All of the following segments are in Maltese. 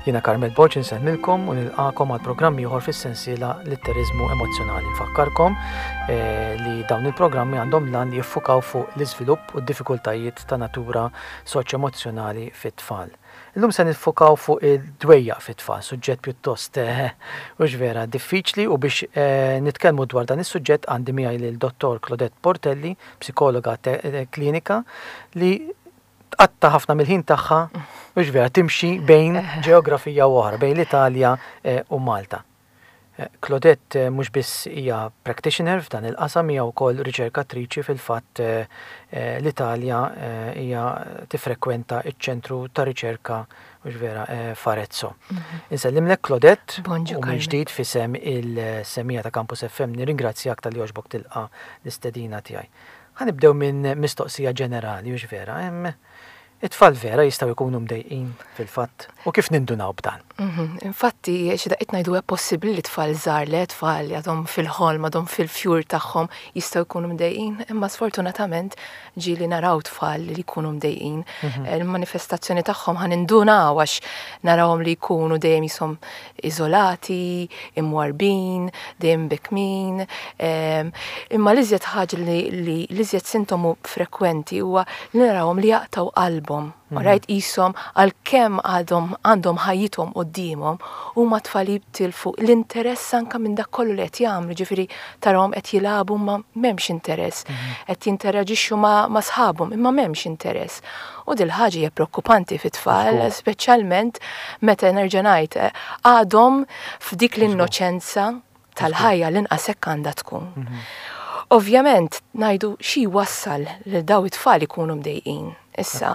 Jiena Carmel Borg insellmilkom u nilqakom għal programm ieħor fis-sensiela Litteriżmu Emozzjonali. Nfakkarkom eh, li dawn il-programmi għandhom lan li jiffukaw fuq l-iżvilupp u d-diffikultajiet ta' natura soċjo-emozzjonali fit-tfal. Illum se niffukaw fuq id-dwejjaq fit-tfal, suġġett pjuttost eh, hux vera diffiċli u biex eh, nitkellmu dwar dan is-suġġett għandi miegħi lil Dottor Claudette Portelli, psikologa klinika, li tqatta' ħafna mill-ħin tagħha, hux vera, timxi bejn ġeografija u oħra, bejn l-Italja eh, u Malta. Eh, Claudette eh, mhux biss hija practitioner f'dan il-qasam hija wkoll riċerkatriċi fil-fatt l-Italja hija tifrekwenta ċ-ċentru ta' riċerka hux vera f'Arezzo. Mhm. Insellimlek Claudette u mill-ġdid fisem il-semija ta' Campus FM nirringrazzjak tal-li għoġbok tilqa l-istedina tiegħi. Ħa nibdew minn mistoqsija ġenerali, hux vera? Hemm it-tfal vera jistgħu jkunu mdejqin fil-fatt? U kif nindunaw b'dan? Mhm. Infatti, xi daqqiet ngħidu hija possibbli li tfal żgħar le tfal li għadhom fil-ħolm, għadhom fil-fjur tagħhom jistgħu jkunu mdejqin, imma sfortunatament ġieli naraw tfal li jkunu mdejqin. Mhm. Il-manifestazzjoni tagħhom ħa nindunaw għax narawhom li jkunu dejjem jisom iżolati, imwarrbin, dejjem mbekmin. Imma l-iżjed ħaġa li l-iżjed sintomu frekwenti huwa li narawhom li jaqtgħu qalbhom. Mhm. Rajt qishom għalkemm għadhom għandhom ħajjithom quddiemhom huma tfal jitilfu l-interess anke minn dak kollu li qed jagħmlu, ġifieri tarahom qed jilagħbu ma m'hemmx interess, mhm. qed jinteraġixxu ma' sħabhom imma m'hemmx interess. U dil-ħaġa hija preokkupanti fit-tfal, speċjalment meta nerġa' ngħid eh, għadhom f'dik l-innoċenza tal-ħajja l-inqas hekk għandha tkun. Mhm. Ovvjament ngħidu xi wassal li daw it-tfal ikunu mdejqin. Issa,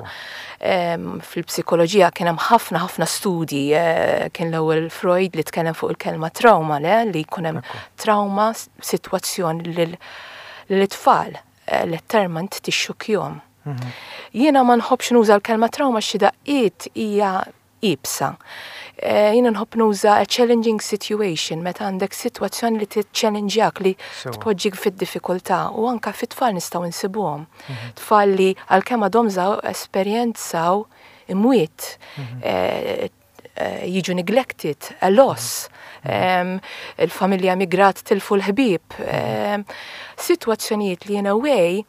fil-psikoloġija kien hemm ħafna ħafna studji, eh, kien l-ewwel Freud li tkellem fuq il-kelma trauma, le, li jkun hemm trauma sitwazzjoni lil tfal eh, letterment tixxukjhom. Mhm. Jiena ma nħobbx nuża l-kelma trauma xi daqqiet hija iebsa. Eh, jiena nħobb nuża a challenging situation meta għandek sitwazzjoni li tiċċellinġjak li tpoġġik fid-diffikultà u anka fit-tfal nistgħu nsibuhom. Mhm. Tfal li għalkemm għadhom żgħar esperjenzaw imwiet mhm. eh, eh, jiġu neglected, a loss, mhm. il-familja migrat tilfu l-ħbieb, sitwazzjonijiet li in a way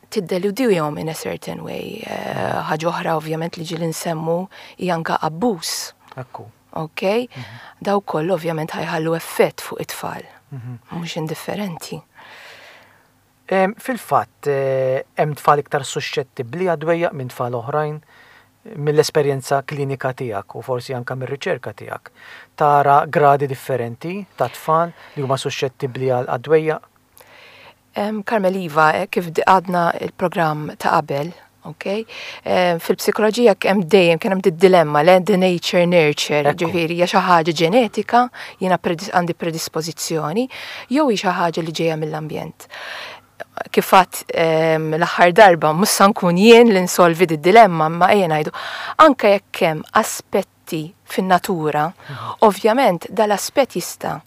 tiddeludihom in a certain way. Eh, ħaġa oħra ovvjament li ġieli nsemmu hija anka abbuż. Ekku. Ok? Mhm. Daw kollu ovvjament ħajħallu effett fuq it-tfal. Mhm. Mhux indifferenti. Fil-fatt, eh, hemm tfal iktar suxxettibbli għad-dwejjaq minn tfal oħrajn mill-esperjenza klinika tiegħek u forsi anke mir-riċerka tiegħek. Tara gradi differenti ta' tfal li huma suxxettibbli għad-dwejjaq? Carmel iva, eh, kif għadna il-programm ta' qabel, ok? Fil-psikoloġija hemm dejjem kien hemm dilemma le the nature nurture, ġifieri hija xi ħaġa ġenetika, jiena għandi predispożizzjoni, jew hi xi ħaġa li ġejja mill-ambjent. Kif għadt l-aħħar darba mhux sa nkun jien li nsolvi di dilemma, imma ejja ngħidu anke jekk hemm aspetti fin-natura, ovvjament dal-aspett jista'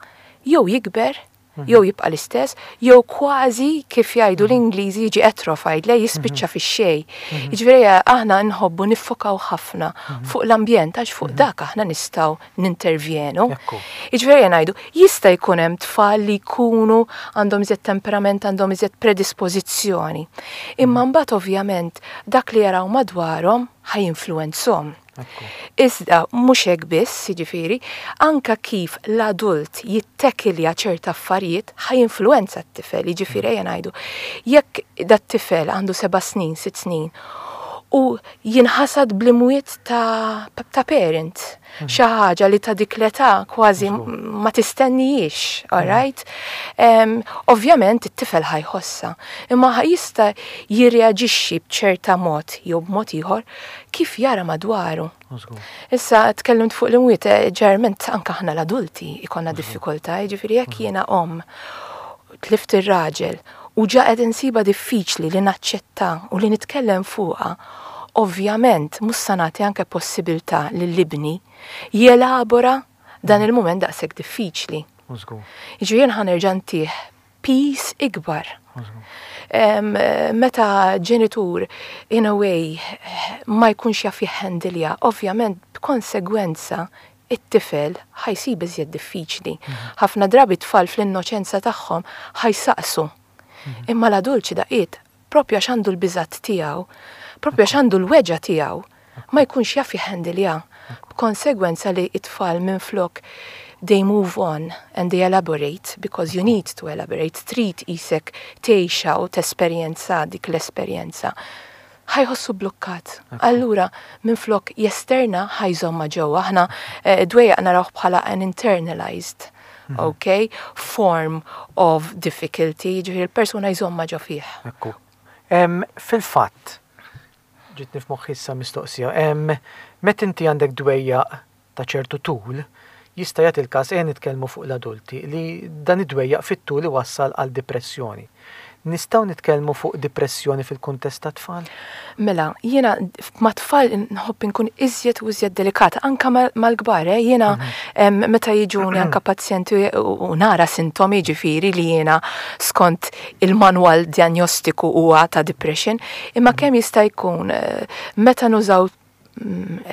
jew jikber mhm. jew jibqa' l-istess, jew kważi kif jgħidu mhm. l-Ingliżi jiġi atrophied, le jispiċċa mhm. fix-xejn. Jiġifieri aħna nħobbu niffokaw ħafna fuq l-ambjent għax fuq dak aħna nistgħu nintervjenu. Jiġifieri ngħidu, jista' jkun hemm tfal li jkunu għandhom iżjed temperament, għandhom iżjed predispożizzjoni. Imma mbagħad ovvjament dak li jaraw madwarhom ħa jinfluwenzhom. Iżda mhux hekk biss, jiġifieri, anka kif l-adult jittekilja ċerta affarijiet ħa jinfluwenza t-tifel, jiġifieri ejja ngħidu, jekk dat-tifel għandu 7 snin, 6 snin, u jinħasad bl-imwiet ta', ta parent, mhm. xi ħaġa li ta' dik l-età kważi ma tistennijiex, all mhm. right? Um, ovvjament it-tifel ħa jħossha, imma jista' jirreaġixxi b'ċerta mod jew b'mod ieħor kif jara madwaru. Issa tkellimt fuq l-imwiet, eh, ġeneralment anka aħna l-adulti ikonna diffikultà, jiġifieri jekk jiena om tlift ir-raġel u ġa qed insiba diffiċli li naċċetta u li nitkellem fuqha, ovvjament mhux sa nagħti anke possibilità lil ibni jelabora dan mhm. il-mument daqshekk diffiċli. Jiġifieri jien ħa nerġa' ntih piż ikbar. Meta ġenitur in a way ma jkunx jaf jihhandilja, ovvjament. B'konsegwenza, it-tifel ħa jsib iżjed diffiċli. Ħafna drabi tfal fl-innoċenza tagħhom ħa jsaqsu. Imma l-adult xi daqqiet, propju għax għandu l-biżat tiegħu, propju għax għandu l-weġgħa tiegħu, ma jkunx jaf jihandilja. B'konsegwenza li it-tfal minflok they move on and they elaborate because you need to elaborate, trid isek tgħixha u tesperjenza dik l-esperjenza. Ħa jħossu blokkat. Allura, minflok jesterna ħa jżommha ġewwa. Aħna dwejjaq narawh bħala an internalized, okay, form of difficulty, ġifieri l-persuna jżommha ġo fih. Ekku. Fil-fatt, ġitni f'moħħi issa mistoqsija, meta inti għandek dwejjaq ta' ċertu tul, jista' jagħti l-każ, ejja nitkellmu fuq l-adulti, li dan id-dwejjaq fit-tul iwassal għal dipressjoni. Nistgħu nitkellmu fuq dipressjoni fil-kuntest ta' tfal? Mela, jiena ma' tfal nħobb inkun iżjed u iżjed delikata, anka mal-kbar, eh? Jiena meta jiġuni anka pazjenti u nara sintomi ġifieri li jiena skont il-manwal diagnostiku huwa ta' depression, imma kemm jista' jkun meta nużaw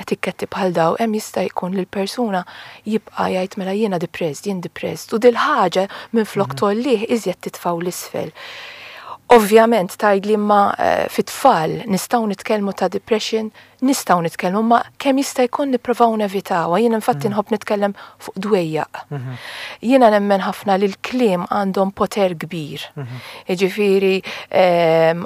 etiketti bħal daw, hemm jista' jkun li l-persuna jibqa' jgħid mela jiena depressed, jien depressed, u dil-ħaġa minn flok tgħollih iżjed titfgħu l-isfel. Ovvjament tgħidli ma fit-tfal nistgħu nitkellmu ta' depression, nistgħu nitkellmu, ma kemm jista' jkun nippruvaw nevitawha. Jien infatti nħobb nitkellem fuq dwejjaq. Jiena nemmen ħafna li l-kliem għandhom poter kbir. Jiġifieri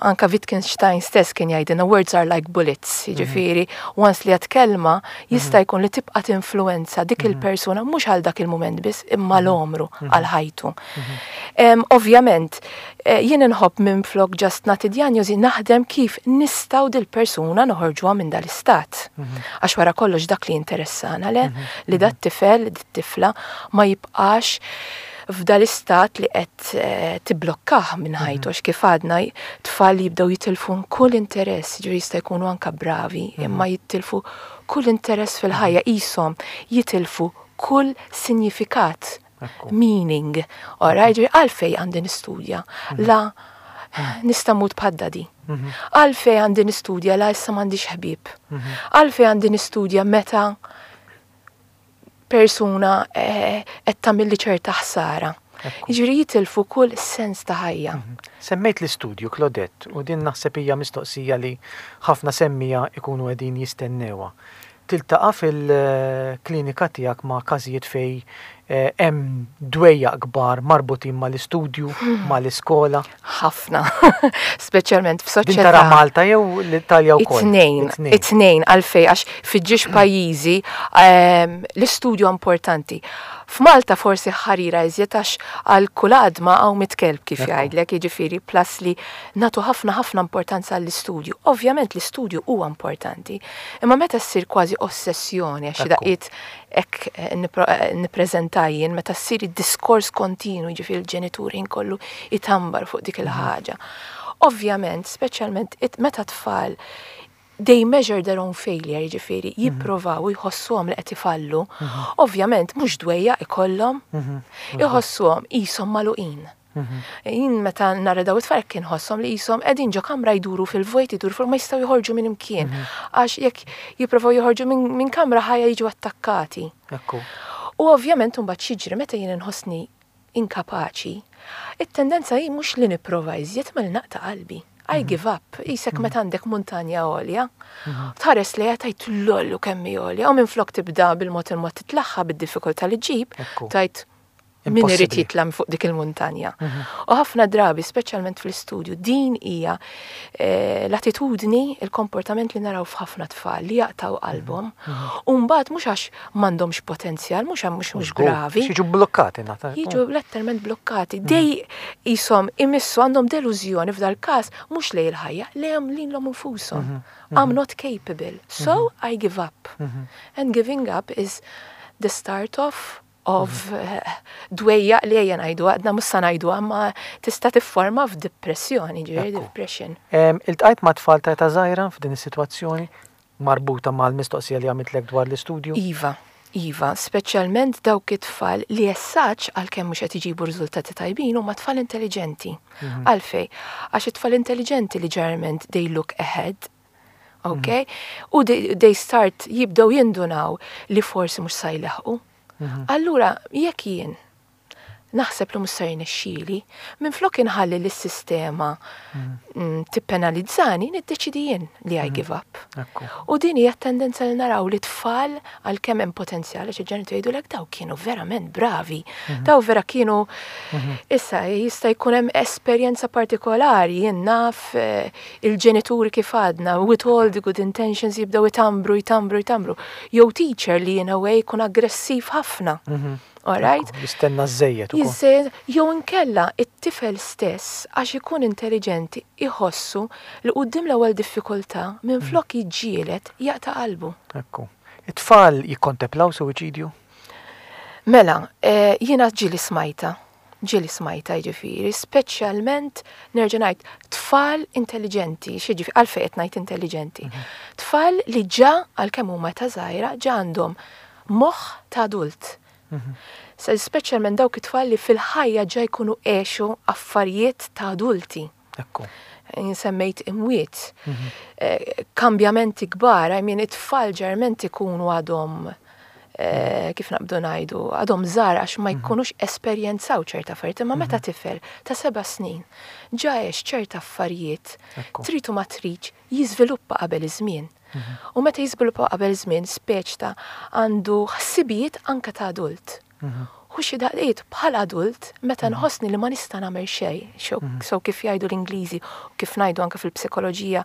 anka Wittgenstein stess kien jgħidilna words are like bullets. Jiġifieri once li għad kelma jista' jkun li tibqa' tinfluwenza dik il-persuna mhux għal dak il-mument biss imma l-għomru għal ħajtu. Ovvjament, jien inħobb minn flok just nagħti diagnosi naħdem kif nistgħu dil-persuna noħorġuha minn dal-istat. Għax wara kollox dak li interessana le, li dat tifel, dit-tifla ma jibqax f'dal-istat li qed tiblokkah minn ħajtu, għax kif għadna tfal jibdew jitilfu kull interess, ġifieri jista' jkunu anka bravi, imma jitilfu kull interess fil-ħajja, qishom jitilfu kull sinjifikat, meaning. Ora, ġifieri għalfej għandi nistudja, la nista' mmut bħad-daddy. Għalfej għandi nistudja la issa m'għandix ħbieb. Għalfej għandi nistudja meta persuna qed tagħmilli ċerta ħsara. Jiġifieri jitilfu kull sens ta' ħajja. Semmejt l-istudju, Claudette, u din naħseb hija mistoqsija li ħafna semmija ikunu qegħdin jistennewha. Tiltaqa' fil-klinika tiegħek ma' każijiet fej hemm dwejjaq kbar marbutin mal-istudju, mal-iskola? Ħafna, speċjalment f'soċjetà. Din tara Malta jew l-Italja wkoll? It-tnejn, it-tnejn għalfej għax fiġġiex pajjiżi l-istudju importanti. F'Malta forsi ħarira iżjed għax għal kull għadma hawn mitkelb kif jgħidlek, jiġifieri plus li nagħtu ħafna ħafna importanza għall-istudju. Ovvjament l-istudju huwa importanti, imma meta ssir kważi ossessjoni għax xi daqqiet hekk nippreżenta jien, meta ssir id-diskors kontinu, jiġifieri l-ġenituri nkollu itambar fuq dik il-ħaġa. Ovvjament, speċjalment meta tfal they measure their own failure, jiġifieri jipprovaw u jħossuhom li qed ifallu, ovvjament mhux dwejjaq ikollhom, iħossuhom qishom magħluqin. Jien meta nara daw it-tfal kien ħosshom li qishom qegħdin ġo kamra jduru fil-vojt, jduru fil ma jistgħu joħorġu minn imkien. Għax jekk jipprovaw joħorġu minn kamra ħajja jiġu attakkati. U ovvjament imbagħad x'jiġri meta jien inħossni inkapaċi, it-tendenza hi mhux li nipprova iżjed ma li naqta' qalbi. I give up, qisek meta għandek muntanja għolja, tħares lejha tgħid lollu kemm hi għolja, u minflok tibda bil-mod il-mod titlaħħa bid-diffikultà li ġġib, tgħid min irid jitla' fuq dik il-muntanja. U ħafna drabi, speċjalment fl-istudju, din hija l-attitudni, il-komportament li naraw f'ħafna tfal li jaqtaw qalbhom. U mbagħad mhux għax m'għandhomx potenzjal, mhux għax mhux gravi. Jiġu blokkati, nata. Jiġu letteralment blokkati. Dej qishom imissu għandhom delużjoni f'dal każ mhux lejn il-ħajja, lejhom lilhom infushom. I'm not capable, so I give up. And giving up is the start of dwejjaq li ejja ngħidu, għadna mhux sa ngħidu, imma tista' tifforma f'depressjoni, ġifieri depression. Iltqajt ma' tfal ta' età żgħira f'din is-sitwazzjoni marbuta mal-mistoqsija li għamiltlek dwar l-istudju? Iva, iva, speċjalment dawk it-tfal li essaċ għalkemm mhux qed iġibu riżultati tajbin huma tfal intelligenti. Għalfej, għax it-tfal intelligenti li ġeneralment they look ahead. Ok? U they start jibdew jindunaw li forsi mhux sa jleħqu. Allura, jekk jien naħseb li mhux se jirnexxieli, minflok inħalli li s-sistema tippenalizzani, niddeċidi jien li I give up. U din hija tendenza li naraw li tfal, għalkemm hemm potenzjal, għax il-ġenituri jgħidulek daw kienu verament bravi, daw vera kienu. Issa jista' jkun hemm esperjenza partikolari, jien naf il-ġenituri, kif għadna, with all the good intentions, jibdew itambru, jtambru, jtambru. Jew teacher li in a way jkun aggressiv ħafna. All right? Jistenna żejjed ukoll. Jiżżejjed, jew inkella it-tifel stess, għax ikun intelligenti, iħossu li quddiem l-ewwel diffikultà, minflok jiġġieled, jaqta' qalbu. Ekku. It-tfal jikkontemplaw suwiċidju? Mela, jiena ġieli smajta, ġieli smajta jiġifieri, speċjalment nerġa' ngħid tfal intelligenti, x'jiġifieri, għalfejn qed ngħid intelligenti? Tfal li ġa, għalkemm huma ta' żgħira, ġa għandhom moħħ ta' adult. Se speċjalment dawk it-tfal li fil-ħajja ġa jkunu għexu affarijiet ta' adulti. Jien semmejt imwiet, kambjamenti kbar, I mean, it-tfal ġeneralment ikunu għadhom kif naqbdu ngħidu, għadhom żgħar għax ma jkunux esperjenzaw ċerta affarijiet, imma meta tifel ta' 7 snin ġa għex ċerta affarijiet, trid u ma tridx, jiżviluppa qabel iż-żmien. U meta jiżviluppa qabel żmien, speċ ta' għandu ħsibijiet anka ta' adult. U xi daqqiet bħal adult, meta nħossni li ma nista' nagħmel xejn, so kif jgħidu l-Ingliżi u kif ngħidu anke fil-psikoloġija,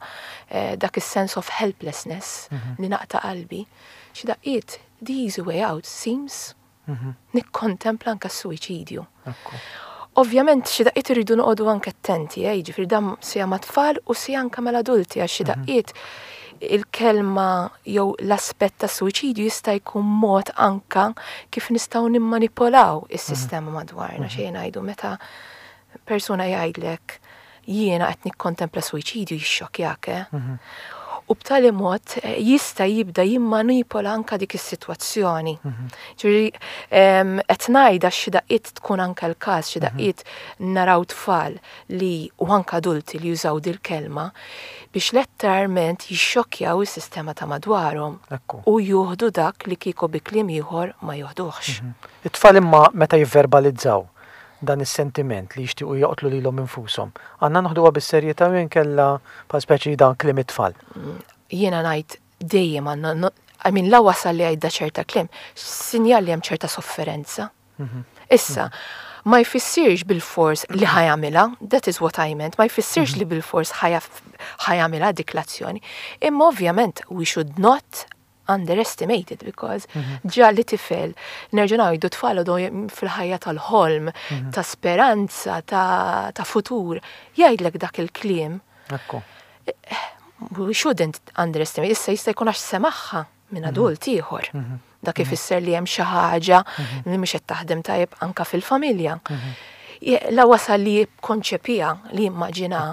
dak is-sense of helplessness li naqta' qalbi, xi daqqiet the easy way out seems nikkontempla anke s-suwiċidju. Ovvjament xi daqqiet irridu noqogħdu anke attenti, jiġifieri dan sija ma' tfal u sija anke mal-adulti, għax xi daqqiet il-kelma jew l-aspett ta' suwiċidju jista' jkun mod anka kif nistgħu nimmanipolaw is-sistema madwarna. Xejn ngħidu, meta persuna jgħidlek "jiena qed nikkontempla suwiċidju", jixxokjak, eh? U b'tali mod jista' jibda jimmanipola anka dik is-sitwazzjoni. Ġifieri qed ngħidha xi daqqiet tkun anka l-każ, xi daqqiet naraw tfal li u anka adulti li jużaw dil-kelma biex letteralment jixxokkjaw is-sistema ta' madwarhom u juħdu dak li kieku bi kliem ieħor ma joħduhx. It-tfal imma meta jivverbalizzaw dan is-sentiment li jixtiequ joqtlu lilhom infushom, għandna noħduha bis-serjetà jew inkella bħal speċi dan kliem it-tfal? Jiena ngħid dejjem għandna, I mean, la wasal li għidda ċerta kliem, sinjal li hemm ċerta sofferenza. Issa, ma jfissirx bil-fors li ħa jagħmilha, that is what I meant, ma jfissirx li bil-fors ħa jagħmilha dik l-azzjoni. Imma ovvjament we should not underestimate it because ġa li tifel, nerġa' ngħidu, tfal għadhom fil-ħajja tal-ħolm, ta' speranza, ta' futur, jgħidlek dak il-kliem. We shouldn't underestimate. Issa jista' jkun għax semagħha minn adult ieħor. Dak ifisser li hemm xi ħaġa li mhux qed taħdem tajjeb anka fil-familja. La wasal li jikkonċepija, li jimmaġina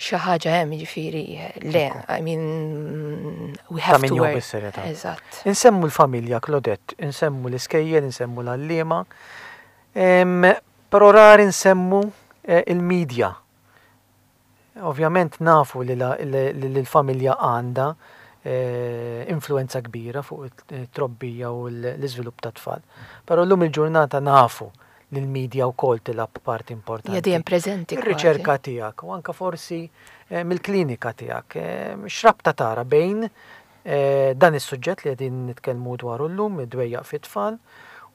xi ħaġa hemm, jiġifieri le, I mean, we have to work. Eżatt. Insemmu l-familja, Claudette, insemmu l-iskejjel, insemmu l-għalliema, però rari nsemmu il-medja. Ovvjament nafu li l-familja għandha influenza kbira fuq it-trobbija u l-iżvilupp ta' tfal. Però llum il-ġurnata nafu li l-medja wkoll tilgħab parti importanti. Hija dejjem preżenti. Ir-riċerka tiegħek u anka forsi mill-klinika tiegħek, x'rabta tara bejn dan is-suġġett li qegħdin nitkellmu dwaru llum, id-dwejjaq fit-tfal,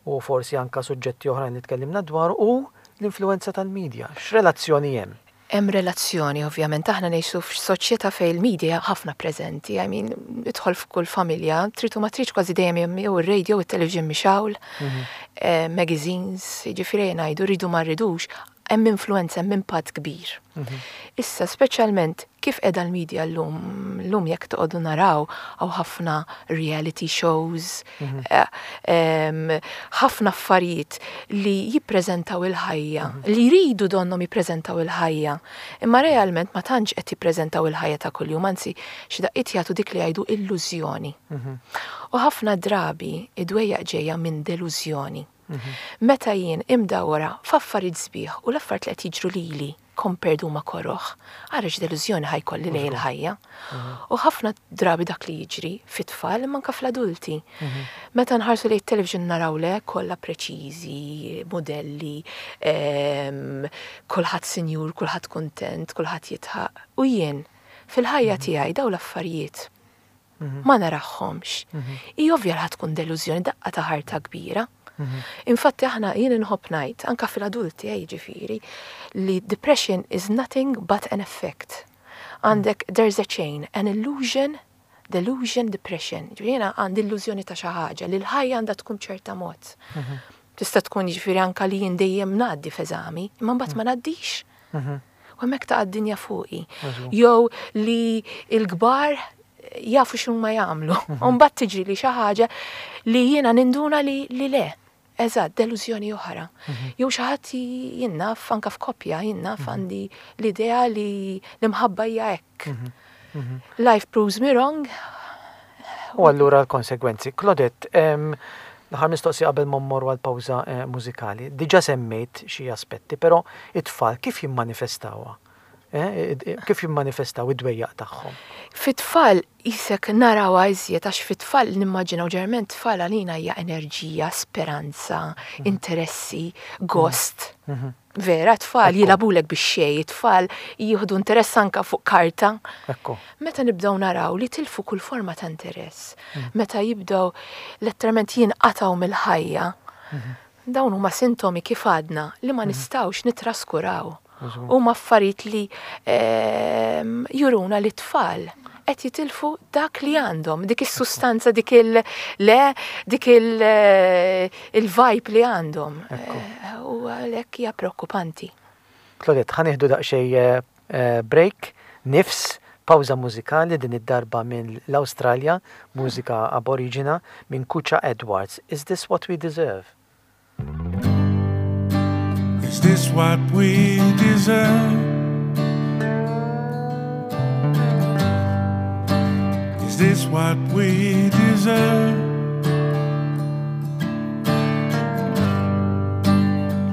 u forsi anka suġġetti oħrajn li tkellimna dwar, u l-influenza tal-medja? X'relazzjoni hemm? Hemm relazzjoni, ovvjament, aħna ngħixu f'soċjetà fejn il-media ħafna preżenti. I mean, idħol f'kull familja, trid u ma tridx, kważi dejjem hemm jew ir-radio, it-television mixgħul, magazines, jiġifieri ngħidu rridu ma rridux, hemm influenza, hemm impatt kbir. Issa, speċjalment kif qiegħda l-media llum, llum jekk toqgħodu naraw hawn ħafna reality shows, ħafna affarijiet li jippreżentaw il-ħajja, li jridu donnhom jippreżentaw il-ħajja, imma realment ma tantx qed jippreżentaw il-ħajja ta' kuljum, anzi xi daqqiet jagħtu dik li jgħidu illużjoni. U ħafna drabi id-dwejjaq ġejja minn delużjoni. Meta jien imdawra f'affarijiet sbieħ u l-affarijiet li qed jiġru lili. compared huma koroh. Ara x'delużjoni ħa jkolli lejn il-ħajja. U ħafna drabi dak li jiġri fit-tfal imma anke fl-adulti. Meta nħarsu lejn it-television naraw le kollha preċiżi, modelli, kulħadd sinjur, kulħadd kuntent, kulħadd jidħaq. U jien fil-ħajja tiegħi dawn l-affarijiet ma narahomx. Hi ovvja li ħa tkun delużjoni, daqqa ta' ħarta kbira. Infatti aħna jien inħobb ngħid, anke fil-adulti, jiġifieri, li depression is nothing but an effect. Għandek there's a chain, an illusion, delusion, depression. Ġifieri jiena għandi illużjoni ta' xi ħaġa li l-ħajja għandha tkun ċerta mod. Tista' tkun jiġifieri anke li jien dejjem ngħaddi f'eżami, imma mbagħad ma ngħaddix. U hemmhekk taqa' d-dinja fuqi. Jew li l-kbar jafu x'huma jagħmlu. U mbagħad tiġri li xi ħaġa li jiena ninduna li le. Eżatt, delużjoni oħra. Jew xi ħadd jien naf anke f'koppja, jien naf għandi l-idea li l-imħabba hija hekk. Life proves me wrong. U allura l-konsegwenzi. Claudette, l-aħħar mistoqsija qabel ma mmorru għal pawża mużikali. Diġà semmejt xi aspetti, però it-tfal kif jimmanifestawha? Kif jimmanifestaw id-dwejjaq tagħhom? Fit-tfal qisek narawha iżjed għax fit-tfal nimmaġinaw ġeneralment tfal għalina hija enerġija, speranza, interessi, gost. Vera, tfal jilagħbulek bix-xejn, tfal jieħdu interess anka fuq karta. Meta nibdew naraw li tilfu kull forma ta' interess, meta jibdew letteralment jinqatgħu mill-ħajja, dawn huma sintomi kif għadna li ma nistgħux nitraskuraw. Huma affarijiet li juruna li t-tfal qed jitilfu dak li għandhom, dik is-sustanza, dik il le, dik il-vibe li għandhom. U għalhekk hija preokkupanti. Claudette, ħa nieħdu daqsxejn break, nifs, pawża mużikali din id-darba minn l-Awstralja, mużika aboriġina minn Kutcha Edwards. Is this what we deserve? Is this what we deserve? Is this what we deserve?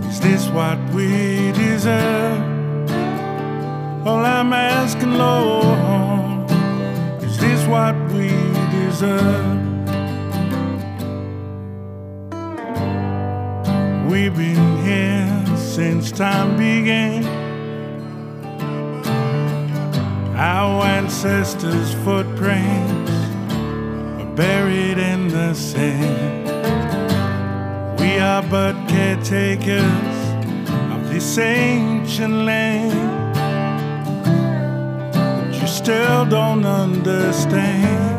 Is this what we deserve? All I'm asking, Lord, is this what we deserve? We've been here since time began. Our ancestors' footprints are buried in the sand. We are but caretakers of this ancient land. But you still don't understand.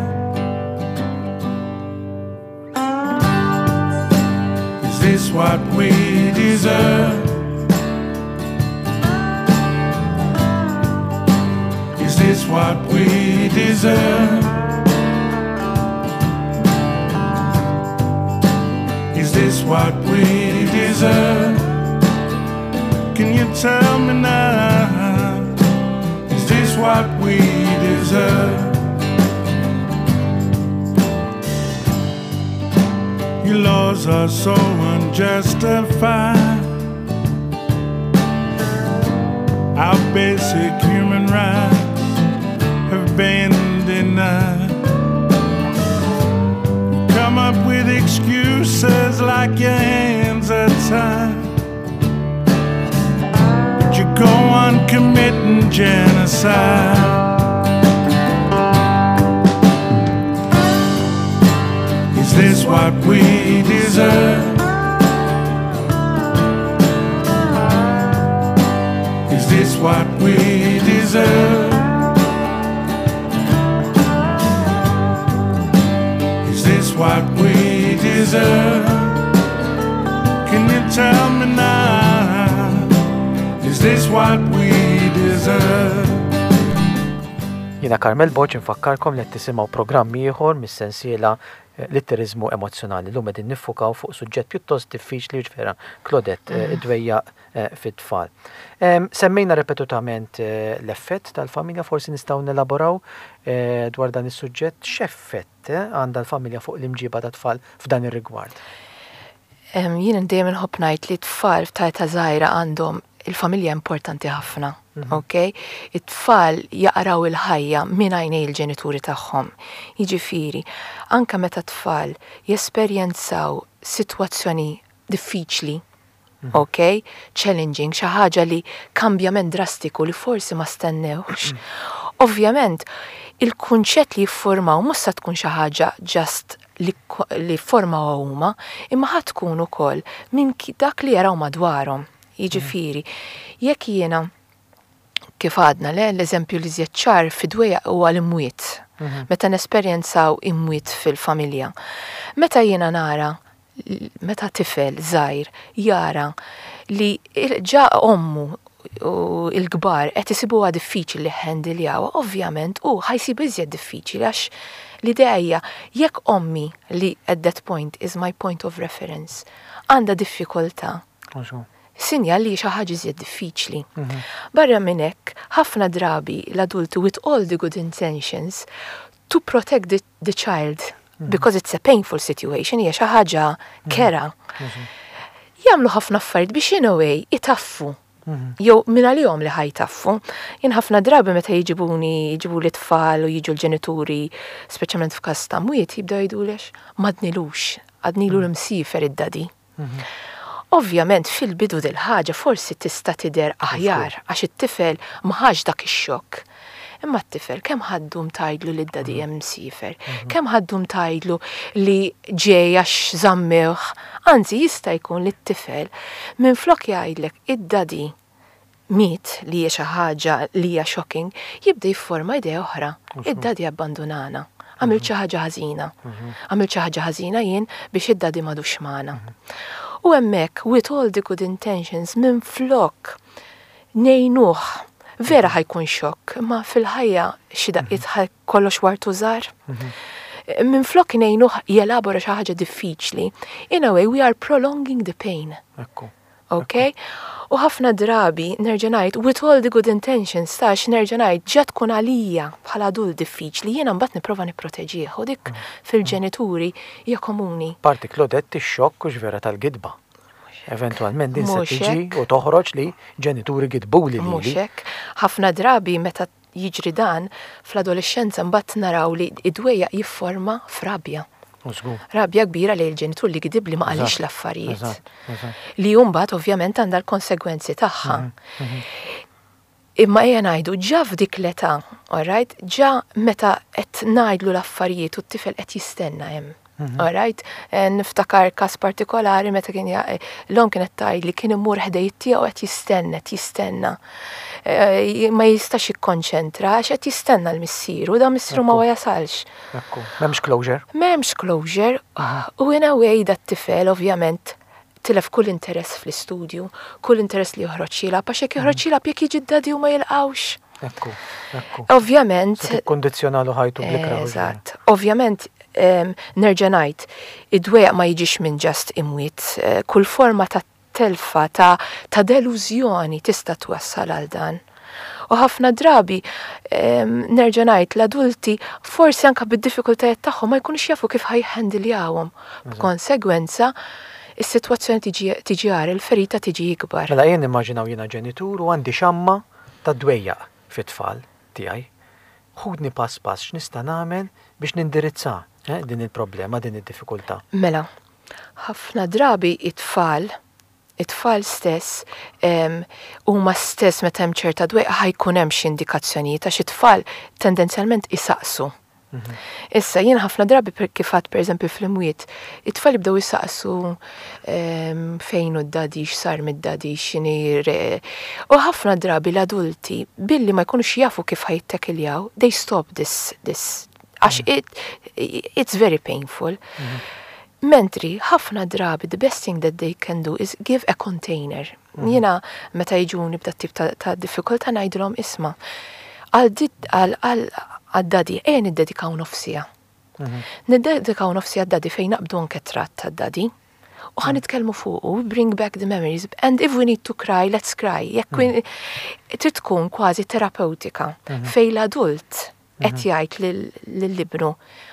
Is this what we deserve? Is this what we deserve? Is this what we deserve? Can you tell me now? Is this what we deserve? Your laws are so unjustified. Our basic human rights have been denied. You come up with excuses like your hands are tied, but you go on committing genocide. Is this what we deserve? Is this what we deserve? Is this what we deserve? Can you tell me now? Is this what we deserve? Jiena Carmel Borg infakkarkom li qed tisimgħu programm ieħor mis-sensiela Litteriżmu emozzjonali. Llum qegħdin niffukaw fuq suġġett pjuttost diffiċli jiġifieri Claudette, id-dwejjaq fit-tfal. Semmejna ripetutament l-effett tal-familja, forsi nistgħu nelaboraw dwar dan is-suġġett. X'effett għandha l-familja fuq l-imġiba tat-tfal f'dan ir-rigward? Jien dejjem inħobb ngħid li t-tfal ta' età żgħira għandhom il-familja importanti ħafna, ok? It-tfal jaqraw il-ħajja minn għajnej il-ġenituri tagħhom. Jiġifieri, anke meta tfal jesperjenzaw sitwazzjoni diffiċli, ok? Challenging, xi ħaġa li kambjament drastiku li forsi ma stennewx. Ovvjament, il-kunċett li jiffurmaw mhux sa tkun xi ħaġa just li formaw huma, imma ħa tkun ukoll minn dak li jaraw madwarhom. Jiġifieri, jekk jiena kif għadna le, l-eżempju li żjed ċar fid-dwejjaq huwa l-imwiet. Meta nesperjenzaw imwiet fil-familja. Meta jiena nara meta tifel żgħir jara li ġa ommu u il-kbar qed isibuha diffiċli li ħendiljawha, ovvjament u ħa jsib iżjed diffiċli għax l-idea hija jekk ommi li at that point is my point of reference għandha diffikultà. Sinjal li xi ħaġa iżjed diffiċli. Barra minn hekk, ħafna drabi l-adulti with all the good intentions to protect the child because it's a painful situation, hija xi ħaġa kerha. Jagħmlu ħafna affarijiet biex in a way itaffu. Jew minn għalihom li ħa jtaffu. Jien ħafna drabi meta jiġibuni, jiġibu li tfal u jiġu l-ġenituri, speċjalment f'każ ta' mwiet, jibdew jgħidulek m'għadnilux, għadnilu l-imsiefer id-daddy. Ovvjament fil-bidu dil-ħaġa forsi tista' tidher aħjar għax it-tifel ma ħax dak ix-xokk. Imma t-tifel kemm ħa ddum tgħidlu li d-daddy hemm msiefer, kemm ħa ddum tgħidlu li ġej għax żammewh, anzi jista' jkun li t-tifel minflok jgħidlek id-daddy miet li hija xi ħaġa li hija shocking, jibda jifforma idea oħra. Id-daddy abbandunana. Għamilt xi ħaġa ħażina. Għamilt xi ħaġa ħażina jien biex id-daddy m'għadux magħna. U hemmhekk with all the good intentions minflok ngħinuh vera ħa jkun xokk, ma fil-ħajja xi daqqiet kollox wartu żgħar. Minflok ngħinuh jelabora xi ħaġa diffiċli, in a way we are prolonging the pain. Ekku. Ok? U ħafna drabi, nerġa' ngħid, with all the good intentions, tax nerġa' ngħid, ġa tkun għalija bħala adult diffiċli, jiena mbagħad nipprova nipproteġih u dik fil-ġenituri hija komuni. Parti Claudette ix-xokk u vera tal-gidba. Eventualment din se Mhux tiġi hekk. u toħroġ li ġenituri gidbuli Mhux lili. hekk. Ħafna drabi meta jiġri dan fl-adolescenza mbagħad naraw li id-dwejjaq jifforma f'rabja. U żgur. Rabja kbira li l-ġenitur li gidib li ma qalix Eżatt, l-affarijiet. Eżatt, eżatt. Li mbagħad ovvjament għandha l-konsegwenzi tagħha. Imma ejja ngħidu ġa f'dik l-età, alright, ġa meta qed ngħidlu l-affarijiet u t-tifel qed jistenna hemm. Alright, niftakar każ partikolari meta kien l-omm kienet tgħid li kien imur ħdejn tiegħu qed jistenna, qed jistenna. Ma jistax jikkonċentra għax qed jistenna l-missieru, da missieru ma Ekku. jasalx. Ekku. M'hemmx closure. M'hemmx closure, u in a way dat tifel ovvjament tilef kull interess fl-istudju, kull interess li joħroġ jilgħab, għax jekk joħroġ jilgħab jekk jiġi d-daddy u ma jilqawx. Ekku, ekku. Ovvjament, Se tikkondizzjonalu ħajtu bl-ikrah. Eżatt. Ovvjament, nerġa' ngħid, id-dwejjaq ma jiġix minn just imwiet, kull forma ta' telfa, ta' delużjoni tista' twassal għal dan. U ħafna drabi, nerġa' ngħid, l-adulti forsi anka bid-diffikultajiet tagħhom ma jkunux jafu kif ħa jħendiljawhom. B'konsegwenza, is-sitwazzjoni tiġi agħar, il-ferita tiġi ikbar. Mela jien nimmaġinaw jiena ġenitur u għandi xamma ta' dwejjaq fit-tfal tiegħi. Ħudni pass pass x'nista' nagħmel biex nindirizza din il-problema, din id-diffikultà. Mela, ħafna drabi it-tfal, it-tfal stess, huma stess meta hemm ċerta dwejqa ħa jkun hemm xi indikazzjonijiet għax it-tfal tendenzjalment isaqsu. Issa, jien ħafna drabi kif għedt per eżempju fl-imwiet, it-tfal jibdew isaqsu fejn hu d-daddy, x'sar mid-daddy, x'inhi re. U ħafna drabi l-adulti, billi ma jkunux jafu kif ħa jittekiljaw, they stop this, għax it's very painful. Mentri, ħafna drabi, the best thing that they can do is give a container. Jiena, meta jiġuni b'da tip ta' diffikultà ngħidilhom isma' għad-daddy, ejja niddedikaw nofs siegħa. Niddedikaw nofs siegħa għad-daddy fejn naqbdu anke tratt tad-daddy. U ħa nitkellmu fuq, we bring back the memories, and if we need to cry, let's cry. Jekk trid tkun kważi terapeutika, fejn l-adult. Qed jgħid lil ibnu,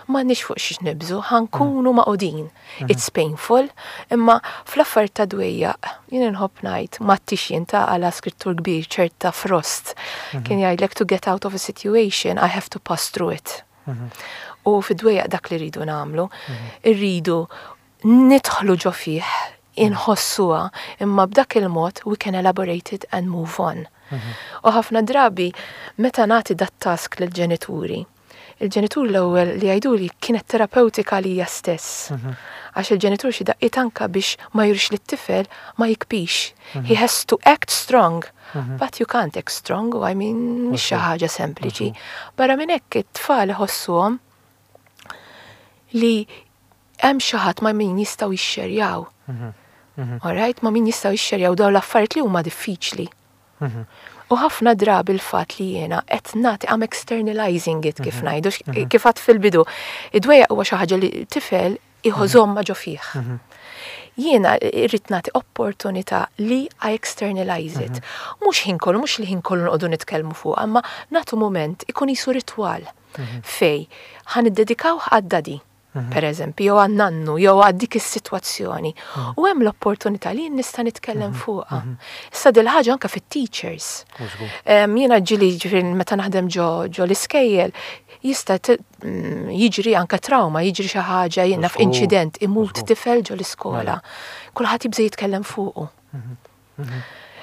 m'għandniex fuq xiex nibżu, ħa nkunu magħqudin. It's painful, imma fl-affarijiet ta' dwejjaq, jien inħobb ngħid, m'għadtix jien ta' għala skrittur kbir ċerta Frost. Kien jgħidlek, "To get out of a situation, I have to pass through it." U fid-dwejjaq dak li rridu nagħmlu, irridu nidħlu ġo fih, inħossuha, imma b'dak il-mod we can elaborate it and move on. U ħafna drabi meta nagħti dat task lill-ġenituri, il-ġenitur l-ewwel li jgħidu li kienet terapeutika lija stess. Għax il-ġenitur xi daqqiet anka biex ma jurix li t-tifel ma jibkix. He has to act strong. But you can't act strong, I mean, mhix xi ħaġa sempliċi. Barra minn hekk it-tfal iħossuhom li hemm xi ħadd ma' min jistgħu jixxerjaw. Alright, ma' min jistgħu jixxerjaw dawn l-affarijiet li huma diffiċli. U ħafna drabi il-fatt li jiena qed nagħti, I'm externalizing it, kif ngħidu, kif għedt fil-bidu. Id-dwejjaq huwa xi ħaġa li tifel iżommha ġo fih. Jiena irrid nagħti opportunità li I externalize it. Mhux ħin kollu, mhux li ħin kollu noqogħdu nitkellmu fuq, imma nagħtu moment ikun qisu ritwal fej ħa niddedikaw għad-daddy, per eżempju, jew għan-nannu, jew għad dik is-sitwazzjoni. U hemm l-opportunità li nista' nitkellem fuqha. Issa dil ħaġa anke fit-teachers. Jiena ġieli, ġifieri meta naħdem ġo l-iskejjel, jista' jiġri anke trauma, jiġri xi ħaġa, jiena f'inċident, imut tifel ġo l-iskola. Kulħadd jibża' jitkellem fuqu.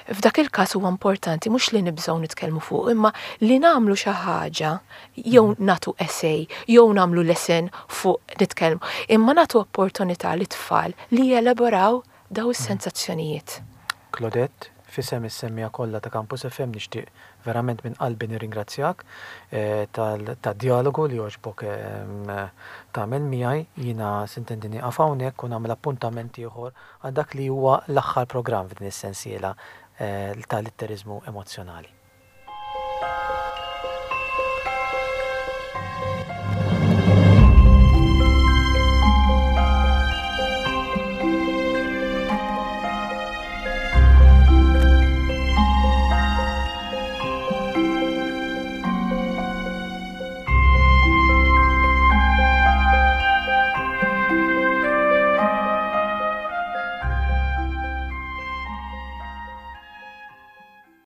F'dak il-każ huwa importanti mhux li nibżgħu nitkellmu fuq, imma li nagħmlu xi ħaġa, jew nagħtu essay, jew nagħmlu lesson fuq nitkellmu, imma nagħtu opportunità li tfal li jelaboraw daw is-sensazzjonijiet. Claudette, f'isem is-semmiegħa kollha ta' Campus FM nixtieq verament minn qalbi nirringrazzjak tad-dialogu li għoġbok tagħmel miegħi. Jiena sintendi nieqaf hawnhekk u nagħmel appuntament ieħor għal dak li huwa l-aħħar programm f'din is-sensiela tal-litteriżmu emozzjonali.